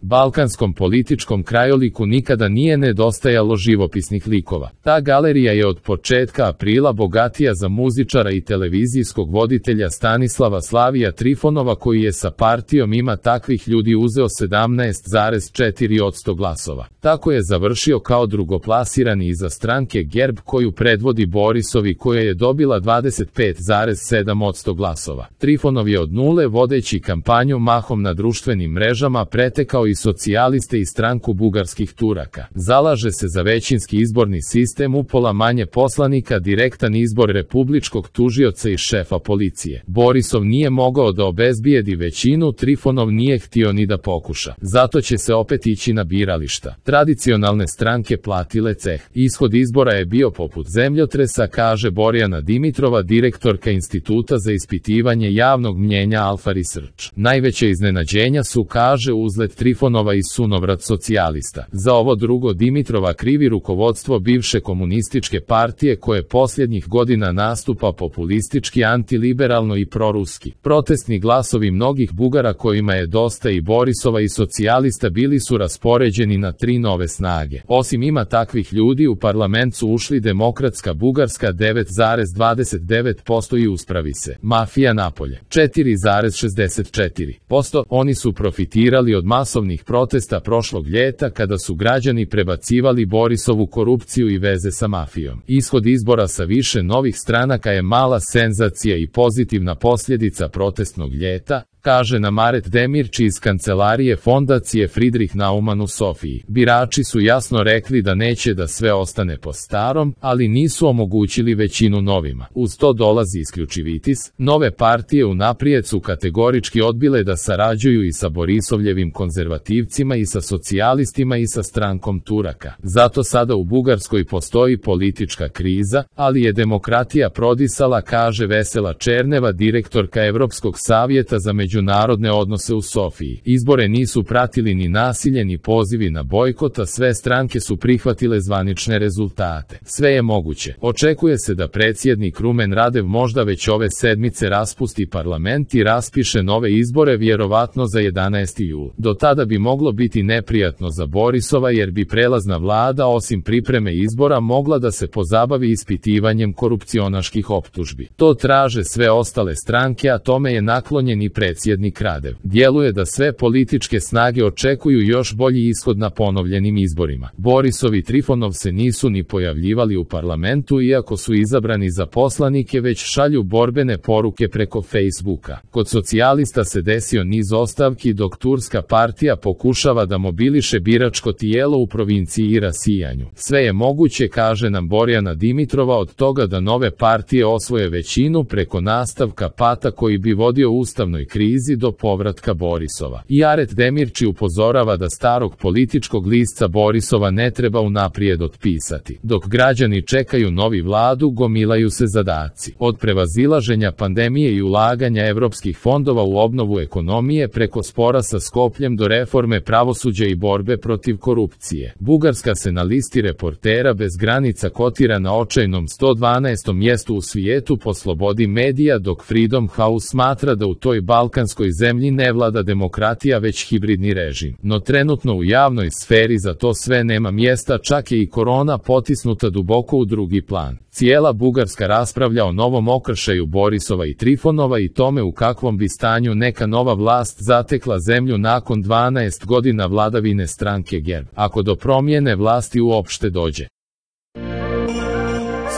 Balkanskom političkom krajoliku nikada nije nedostajalo živopisnih likova. Ta galerija je od početka aprila bogatija za muzičara i televizijskog voditelja Stanislava Slavija Trifonova, koji je sa partijom Ima takvih ljudi uzeo 17,4% glasova. Tako je završio kao drugoplasirani iza stranke GERB koju predvodi Borisovi, koja je dobila 25,7% glasova. Trifonov je od nule vodeći kampanju mahom na društvenim mrežama pretekao i socijaliste i stranku bugarskih Turaka. Zalaže se za većinski izborni sistem, upola manje poslanika, direktan izbor republičkog tužioca i šefa policije. Borisov nije mogao da obezbijedi većinu, Trifonov nije htio ni da pokuša. Zato će se opet ići na birališta. Tradicionalne stranke platile ceh. Ishod izbora je bio poput zemljotresa, kaže Borjana Dimitrova, direktorka Instituta za ispitivanje javnog mnjenja Alfa Research. Najveće iznenađenja su, kaže, uzlet Trifonova i sunovrat socijalista. Za ovo drugo Dimitrova krivi rukovodstvo bivše komunističke partije, koje posljednjih godina nastupa populistički, antiliberalno i proruski. Protestni glasovi mnogih Bugara, kojima je dosta i Borisova i socijalista, bili su raspoređeni na 3 nove snage. Osim Ima takvih ljudi, u parlament su ušli Demokratska Bugarska 9,29% i Uspravi se. Mafija napolje 4,64%. Oni su profitirali od masovnih protesta prošlog ljeta, kada su građani prebacivali Borisovu korupciju i veze sa mafijom. Ishod izbora sa više novih stranaka je mala senzacija i pozitivna posljedica protestnog ljeta, kaže nam Aret Demirci iz kancelarije fondacije Friedrich Naumann u Sofiji. Birači su jasno rekli da neće da sve ostane po starom, ali nisu omogućili većinu novima. Uz to dolazi isključivitis. Nove partije unaprijed su kategorički odbile da sarađuju i sa Borisovljevim konzervativcima i sa socijalistima i sa strankom Turaka. Zato sada u Bugarskoj postoji politička kriza, ali je demokratija prodisala, kaže Vesela Černeva, direktorka Evropskog savjeta za međunarodne odnose u Sofiji. Izbore nisu pratili ni nasilje ni pozivi na bojkot, a sve stranke su prihvatile zvanične rezultate. Sve je moguće. Očekuje se da predsjednik Rumen Radev možda već ove sedmice raspusti parlament i raspiše nove izbore, vjerovatno za 11. jul. Do tada bi moglo biti neprijatno za Borisova, jer bi prelazna vlada osim pripreme izbora mogla da se pozabavi ispitivanjem korupcionaških optužbi. To traže sve ostale stranke, a tome je naklonjen i predsjednik Radev. Djeluje da sve političke snage očekuju još bolji ishod na ponovljenim izborima. Borisov i Trifonov se nisu ni pojavljivali u parlamentu, iako su izabrani za poslanike, već šalju borbene poruke preko Facebooka. Kod socijalista se desio niz ostavki, dok turska partija pokušava da mobiliše biračko tijelo u provinciji i rasijanju. Sve je moguće, kaže nam Borjana Dimitrova, od toga da nove partije osvoje većinu preko nastavka pata koji bi vodio ustavnoj krizi do povratka Borisova. I Aret Demirci upozorava da starog političkog lisca Borisova ne treba unaprijed otpisati. Dok građani čekaju novi vladu, gomilaju se zadaci. Od prevazilaženja pandemije i ulaganja evropskih fondova u obnovu ekonomije preko spora sa Skopljem do reforme pravosuđa i borbe protiv korupcije. Bugarska se na listi Reportera bez granica kotira na očajnom 112. mjestu u svijetu po slobodi medija, dok Freedom House smatra da u toj balkanskoj zemlji ne vlada demokratija već hibridni režim. No trenutno u javnoj sferi za to sve nema mjesta, čak je i korona potisnuta duboko u drugi plan. Cijela Bugarska raspravlja o novom okršaju Borisova i Trifonova i tome u kakvom bi stanju neka nova vlast zatekla zemlju nakon 12 godina vladavine stranke GERB, ako do promjene vlasti uopšte dođe.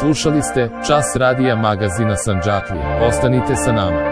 Slušali ste Čas radija magazina Sandžaklija. Ostanite sa nama.